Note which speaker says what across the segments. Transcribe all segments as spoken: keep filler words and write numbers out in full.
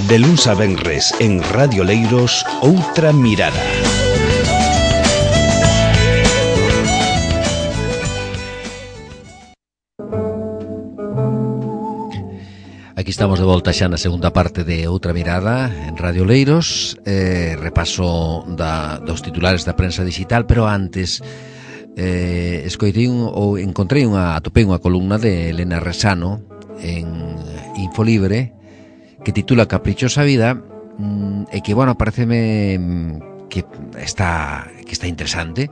Speaker 1: De luns a venres en Radio Leiros, Outra Mirada.
Speaker 2: Aquí estamos de volta xa na segunda parte de Outra Mirada en Radio Leiros, eh, repaso da, dos titulares da prensa digital, pero antes eh, escoitei un, ou encontrei unha, atopei unha columna de Elena Resano en Infolibre que titula Caprichosa Vida, mm, e que, bueno, pareceme que está que está interesante,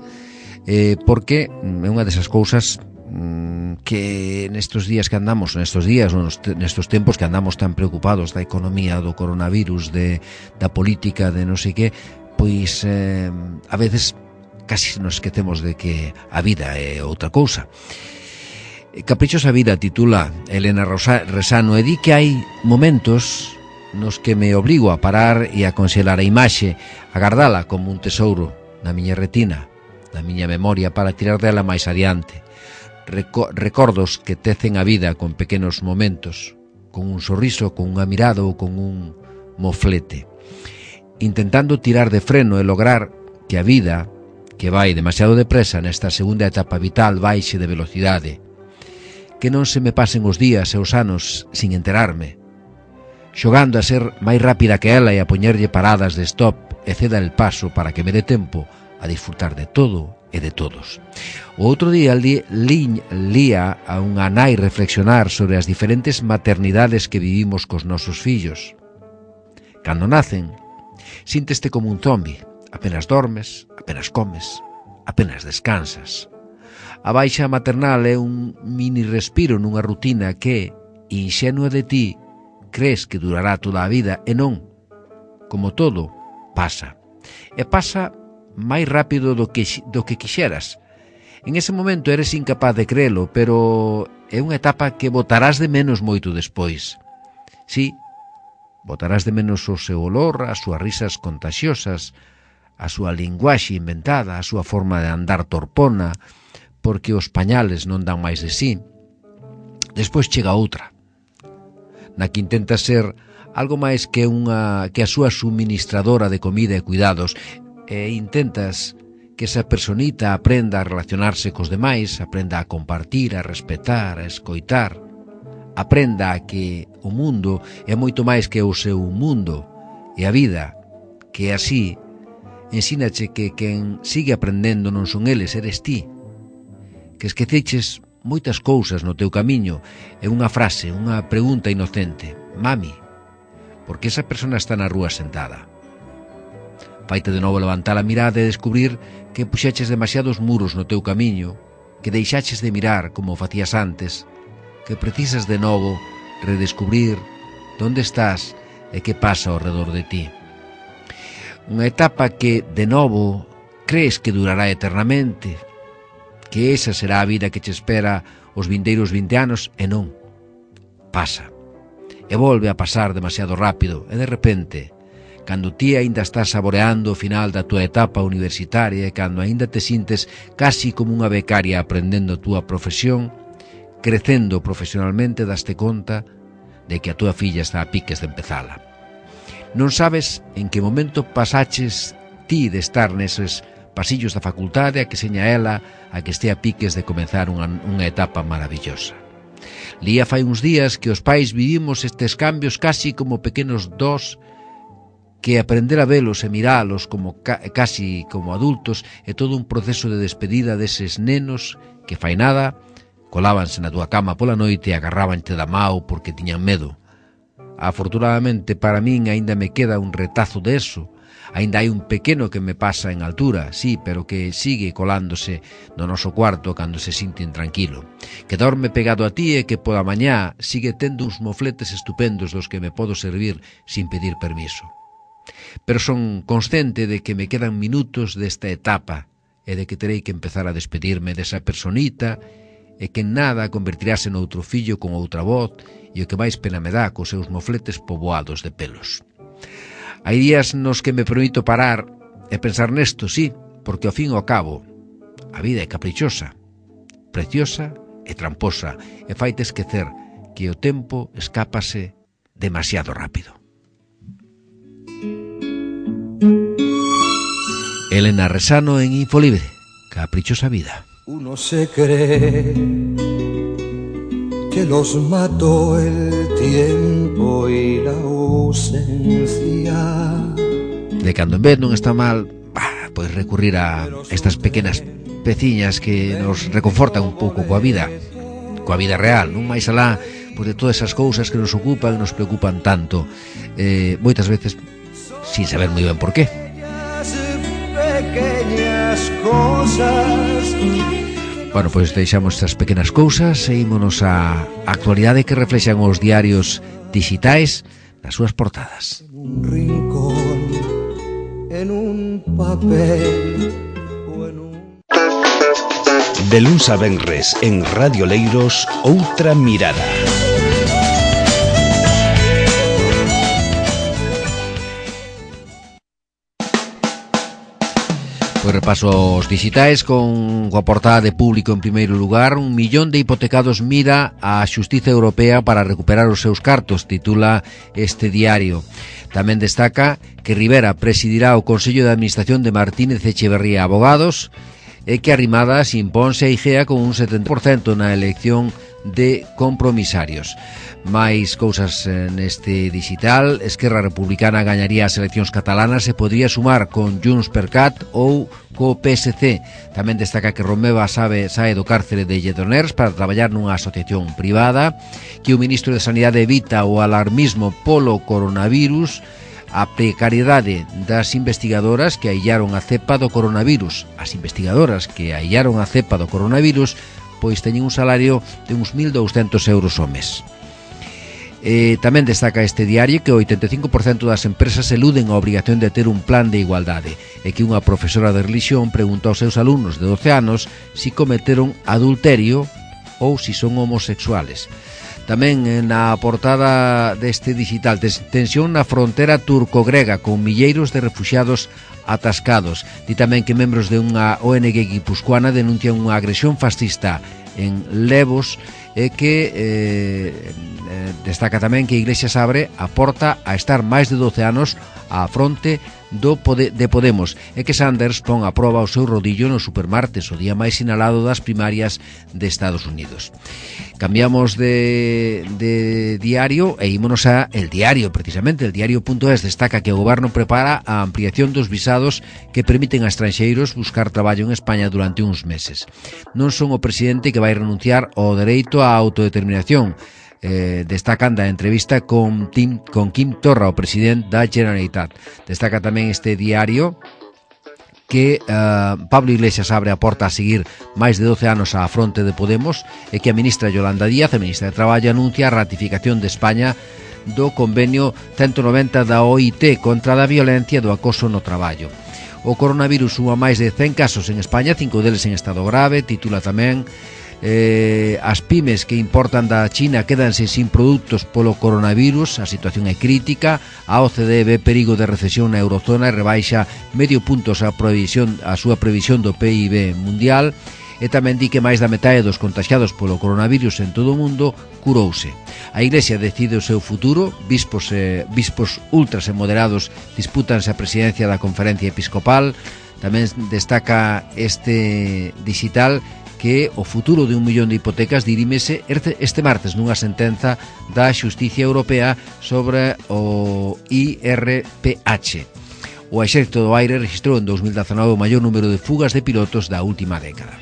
Speaker 2: eh, porque é unha desas cousas mm, que nestos días que andamos, nestos días, nestos tempos que andamos tan preocupados da economía, do coronavirus, de, da política, de non sei que, pois eh, a veces casi nos esquecemos de que a vida é outra cousa. Caprichosa Vida titula Elena Resano, e di que hai momentos nos que me obrigo a parar e a conxelar a imaxe, a gardala como un tesouro na miña retina, na miña memoria, para tirar dela máis adiante. Reco- recordos que tecen a vida con pequenos momentos, con un sorriso, con unha mirada ou con un moflete, intentando tirar de freno e lograr que a vida, que vai demasiado depresa nesta segunda etapa vital, baixe de velocidade, que non se me pasen os días e os anos sin enterarme, xogando a ser máis rápida que ela e a poñerlle paradas de stop e ceda el paso para que me dé tempo a disfrutar de todo e de todos. O outro día li, li, lía a unha nai reflexionar sobre as diferentes maternidades que vivimos cos nosos fillos. Cando nacen, sínteste como un zombi, apenas dormes, apenas comes, apenas descansas. A baixa maternal é un mini respiro nunha rutina que, inxenua de ti, crees que durará toda a vida, e non. Como todo, pasa. E pasa máis rápido do que, do que quixeras. En ese momento eres incapaz de creelo, pero é unha etapa que botarás de menos moito despois. Sí, botarás de menos o seu olor, as súas risas contaxiosas, a súa linguaxe inventada, a súa forma de andar torpona, porque os pañales non dan máis de sí. Despois chega outra, na que intenta ser algo máis que unha que a súa suministradora de comida e cuidados, e intentas que esa personita aprenda a relacionarse cos demais, aprenda a compartir, a respetar, a escoitar, aprenda a que o mundo é moito máis que o seu mundo, e a vida, que así ensínache que quen sigue aprendendo non son eles, eres ti, que esqueceches moitas cousas no teu camiño, é unha frase, unha pregunta inocente: mami, por que esa persona está na rúa sentada? Faite de novo levantar a mirada e descubrir que puxeches demasiados muros no teu camiño, que deixaches de mirar como facías antes, que precisas de novo redescubrir onde estás e que pasa ao redor de ti. Unha etapa que, de novo, crees que durará eternamente, que esa será a vida que te espera os vindeiros vinte anos, e non. Pasa. E volve a pasar demasiado rápido, e de repente, cando ti aínda estás saboreando o final da tua etapa universitaria e cando aínda te sintes casi como unha becaria aprendendo a túa profesión, crecendo profesionalmente, daste conta de que a túa filla está a piques de empezala. Non sabes en que momento pasaches ti de estar neses pasillos da facultade a que seña ela a que este a piques de comenzar unha, unha etapa maravillosa. Lía fai uns días que os pais vivimos estes cambios casi como pequenos dos, que aprender a velos e miralos como ca, casi como adultos é todo un proceso de despedida deses nenos que fai nada colábanse na túa cama pola noite e agarrábanche da mao porque tiñan medo. Afortunadamente para min aínda me queda un retazo de eso. Ainda hai un pequeno que me pasa en altura, sí, pero que sigue colándose no noso cuarto cando se sinta intranquilo, que dorme pegado a ti e que pola mañá sigue tendo uns mofletes estupendos dos que me podo servir sin pedir permiso. Pero son consciente de que me quedan minutos desta etapa e de que terei que empezar a despedirme desa personita e que en nada convertirase noutro fillo con outra voz e o que máis pena me dá cos seus mofletes poboados de pelos. Hai días nos que me permito parar e pensar nesto, sí, porque ao fin e ao cabo a vida é caprichosa, preciosa e tramposa, e faite esquecer que o tempo escápase demasiado rápido. Elena Resano en Infolibre, Caprichosa Vida.
Speaker 3: Uno se cree que los mató el tiempo y la ausencia.
Speaker 2: De cando en vez non está mal, bah, pois recurrir a estas pequenas peciñas que nos reconfortan un pouco coa vida, coa vida real, non máis alá pois de todas esas cousas que nos ocupan e nos preocupan tanto, eh, moitas veces sin saber moi ben por qué.
Speaker 3: Pequeñas cosas.
Speaker 2: Bueno, pois deixamos estas pequenas cousas e ímonos á actualidade que reflexan os diarios digitais nas súas portadas.
Speaker 3: Un rincón, en un papel o en un...
Speaker 1: De luns a venres en Radio Leiros, Outra Mirada.
Speaker 2: Pois repaso os digitais con coa portada de Público en primeiro lugar. Un millón de hipotecados mira a Xustiza Europea para recuperar os seus cartos, titula este diario. Tamén destaca que Rivera presidirá o Consello de Administración de Martínez Echeverría Abogados e que Arrimadas imponse a Igea con un setenta por cento na elección de compromisarios. Mais cousas neste digital. Esquerra Republicana gañaría as eleccións catalanas e podría sumar con Junts per Cat ou co P S C. Tamén destaca que Romeva sabe, sae do cárcere de Lledoners para traballar nunha asociación privada, que o ministro de Sanidade evita o alarmismo polo coronavirus, a precariedade das investigadoras que aillaron a cepa do coronavirus. As investigadoras que aillaron a cepa do coronavirus pois teñen un salario de uns mil douscentos euros ao mes. Eh, tamén destaca este diario que o oitenta e cinco por cento das empresas eluden a obrigación de ter un plan de igualdade e que unha profesora de religión pregunta aos seus alumnos de doce anos si cometeron adulterio ou si son homosexuales. Tamén na portada deste digital, tensión na frontera turco-grega con milleiros de refuxiados atascados. Di tamén que membros de unha O N G guipuscoana denuncian unha agresión fascista en Levos e que eh, destaca tamén que a Iglesias abre a porta a estar máis de doce anos á fronte do Pode, de Podemos e que Sanders pon a proba o seu rodillo no supermartes, o día máis sinalado das primarias de Estados Unidos. Cambiamos de, de diario e ímonos a El Diario, precisamente. El Diario.es destaca que o goberno prepara a ampliación dos visados que permiten a estranxeiros buscar traballo en España durante uns meses. Non son o presidente que vai renunciar ao dereito á autodeterminación. Eh, destacan da entrevista con, Tim, con Quim Torra, o presidente da Generalitat. Destaca tamén este diario que uh, Pablo Iglesias abre a porta a seguir máis de doce anos á fronte de Podemos e que a ministra Yolanda Díaz, a ministra de Traballo, anuncia a ratificación de España do convenio ciento noventa da O I T contra a violencia e do acoso no traballo. O coronavirus suma máis de cen casos en España, cinco deles en estado grave. Titula tamén Eh, as pymes que importan da China quedanse sin produtos polo coronavirus, a situación é crítica. A O C D ve perigo de recesión na eurozona e rebaixa medio puntos a, previsión, a súa previsión do P I B mundial. E tamén di que máis da metade dos contagiados polo coronavirus en todo o mundo curouse. A Iglesia decide o seu futuro. Bispos, eh, bispos ultras e moderados dispútanse a presidencia da Conferencia Episcopal. Tamén destaca este digital que o futuro de un millón de hipotecas dirímese este martes nunha sentenza da Xusticia Europea sobre o I R P H. O Exército do Aire registrou en dos mil dezanove o maior número de fugas de pilotos da última década.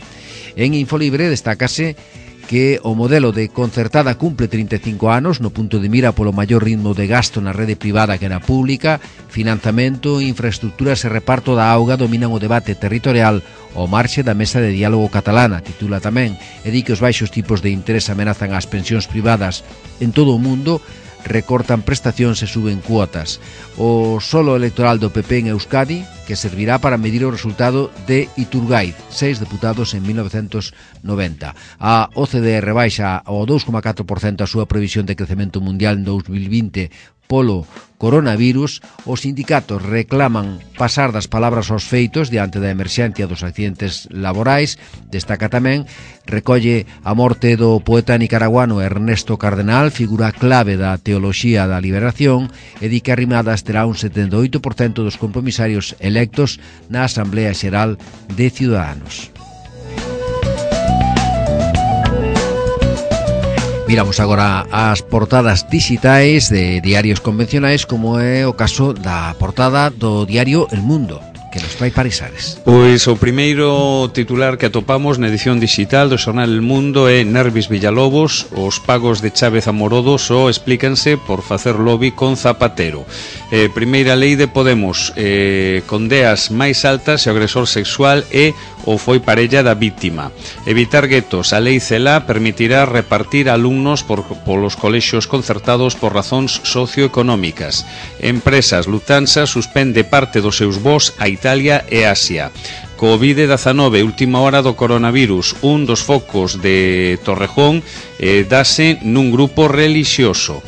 Speaker 2: En Infolibre destácase que o modelo de concertada cumple trinta e cinco anos no punto de mira polo maior ritmo de gasto na rede privada que na pública. Financiamento, infraestructuras e reparto da auga dominan o debate territorial ao marxe da mesa de diálogo catalana, titula tamén, e di que os baixos tipos de interés amenazan as pensións privadas en todo o mundo, recortan prestacións e suben cuotas. O solo electoral do P P en Euskadi, que servirá para medir o resultado de Iturgaiz, seis deputados en mil novecentos noventa. A O C D E rebaixa ao dous coma catro por cento a súa previsión de crecemento mundial en dous mil vinte polo coronavirus, os sindicatos reclaman pasar das palabras aos feitos diante da emerxencia dos accidentes laborais. Destaca tamén, recolle a morte do poeta nicaraguano Ernesto Cardenal, figura clave da teoloxía da liberación, e di que Arrimadas terá un setenta e oito por cento dos compromisarios electos na Asamblea Xeral de Ciudadanos. Miramos agora as portadas digitais de diarios convencionais, como é o caso da portada do diario El Mundo, que nos trae Parisares.
Speaker 4: Pois o primeiro titular que atopamos na edición digital do xornal El Mundo é Nervis Villalobos, os pagos de Chávez a Morodo só explícanse por facer lobby con Zapatero. Eh, primeira lei de Podemos, eh, con deas máis altas e o agresor sexual é ou foi parella da víctima. Evitar guetos, a lei Celaá permitirá repartir alumnos por, polos colexios concertados por razóns socioeconómicas. Empresas, Lufthansa suspende parte dos seus voos a Italia e Asia. covid dezanove, última hora do coronavirus. Un dos focos de Torrejón eh, dase nun grupo relixioso.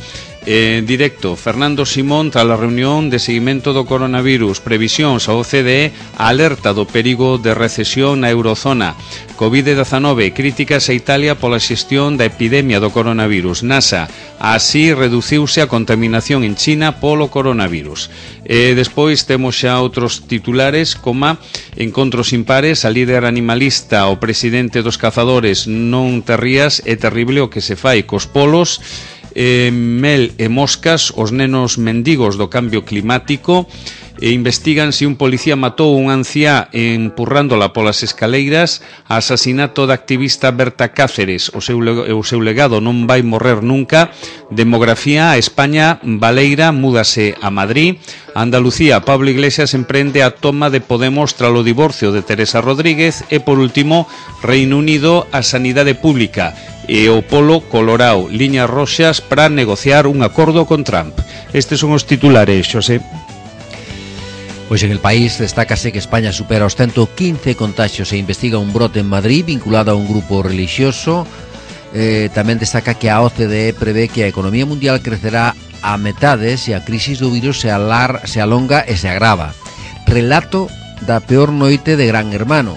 Speaker 4: En directo, Fernando Simón tras a reunión de seguimento do coronavirus, previsións a O C D E alerta do perigo de recesión na eurozona. covid dezanove, críticas a Italia pola xestión da epidemia do coronavirus. NASA, así reduciuse a contaminación en China polo coronavirus. E despois temos xa outros titulares, como encontros impares, a líder animalista, o presidente dos cazadores, non te rías, é terrible o que se fai cos polos. Eh, mel e moscas, os nenos mendigos do cambio climático, e investigan se un policía matou un anciá empurrándola polas escaleiras, asasinato da activista Berta Cáceres, o seu, o seu legado non vai morrer nunca, demografía, a España baleira múdase a Madrid, Andalucía, Pablo Iglesias emprende a toma de Podemos tras o divorcio de Teresa Rodríguez, e por último, Reino Unido, a sanidade pública, e o polo colorao, liñas roxas para negociar un acordo con Trump. Estes son os titulares, Xosé.
Speaker 2: Pois en El País destácase que España supera os ciento quince contagios e investiga un brote en Madrid vinculado a un grupo religioso. Eh, tamén destaca que a O C D E prevé que a economía mundial crecerá a metade se a crisis do virus se, alar, se alonga e se agrava. Relato da peor noite de Gran Hermano.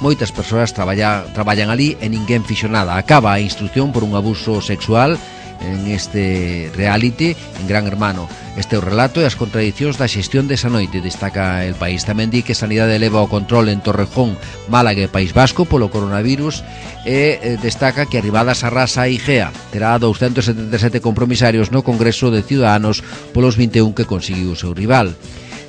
Speaker 2: Moitas persoas traballa, traballan ali e ninguén fixo nada. Acaba a instrucción por un abuso sexual en este reality en Gran Hermano. Este é o relato e as contradicións da xestión desa noite, destaca El País. Tamén di que Sanidade eleva o control en Torrejón, Málaga e País Vasco polo coronavirus, e eh, destaca que Arrimadas arrasa a Igea. Terá doscientos setenta e sete compromisarios no Congreso de Ciudadanos polos vinte e un que conseguiu o seu rival.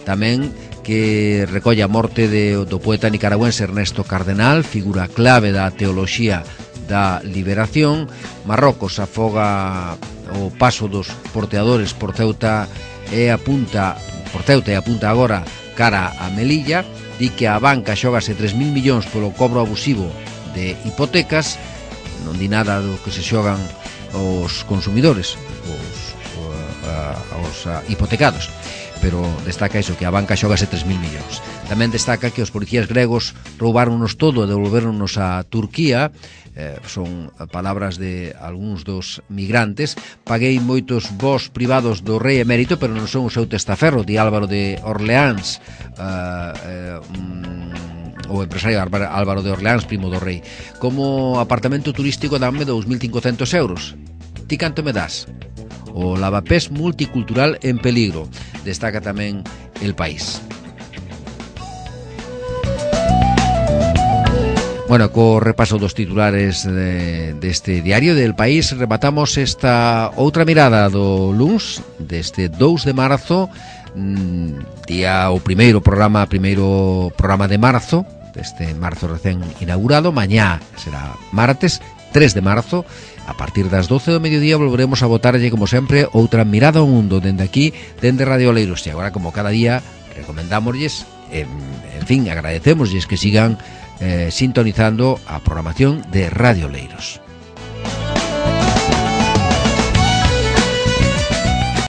Speaker 2: Tamén que recolle a morte de, do poeta nicaragüense Ernesto Cardenal, figura clave da teoloxía da liberación. Marrocos afoga o paso dos porteadores por Ceuta e apunta por Ceuta e apunta agora cara a Melilla. Di que a banca xógase tres mil millóns polo cobro abusivo de hipotecas. Non di nada do que se xogan os consumidores, os, os, os hipotecados, pero destaca iso, que a banca xógase tres mil millóns. Tamén destaca que os policías gregos roubaronnos todo e devolveronnos a Turquía. Eh, son palabras de algúns dos migrantes. Paguei moitos voos privados do rei emérito, pero non son o seu testaferro, di Álvaro de Orleáns, uh, eh, um, o empresario Álvaro de Orleáns, primo do rei. Como apartamento turístico danme dous mil cincocentos euros. Ti canto me das? O lavapés multicultural en peligro, destaca tamén El País. Bueno, co repaso dos titulares de, deste diario del País, rematamos esta outra mirada do luns deste dous de marzo, día o primeiro programa, primeiro programa de marzo, deste marzo recén inaugurado. Mañá será martes tres de marzo. A partir das doce do mediodía volveremos a botarlle, como sempre, outra mirada ao mundo dende aquí, dende Radio Oleiros. E agora, como cada día, recomendámoslles, en, en fin, agradecémoslles que sigan eh, sintonizando a programación de Radio Oleiros.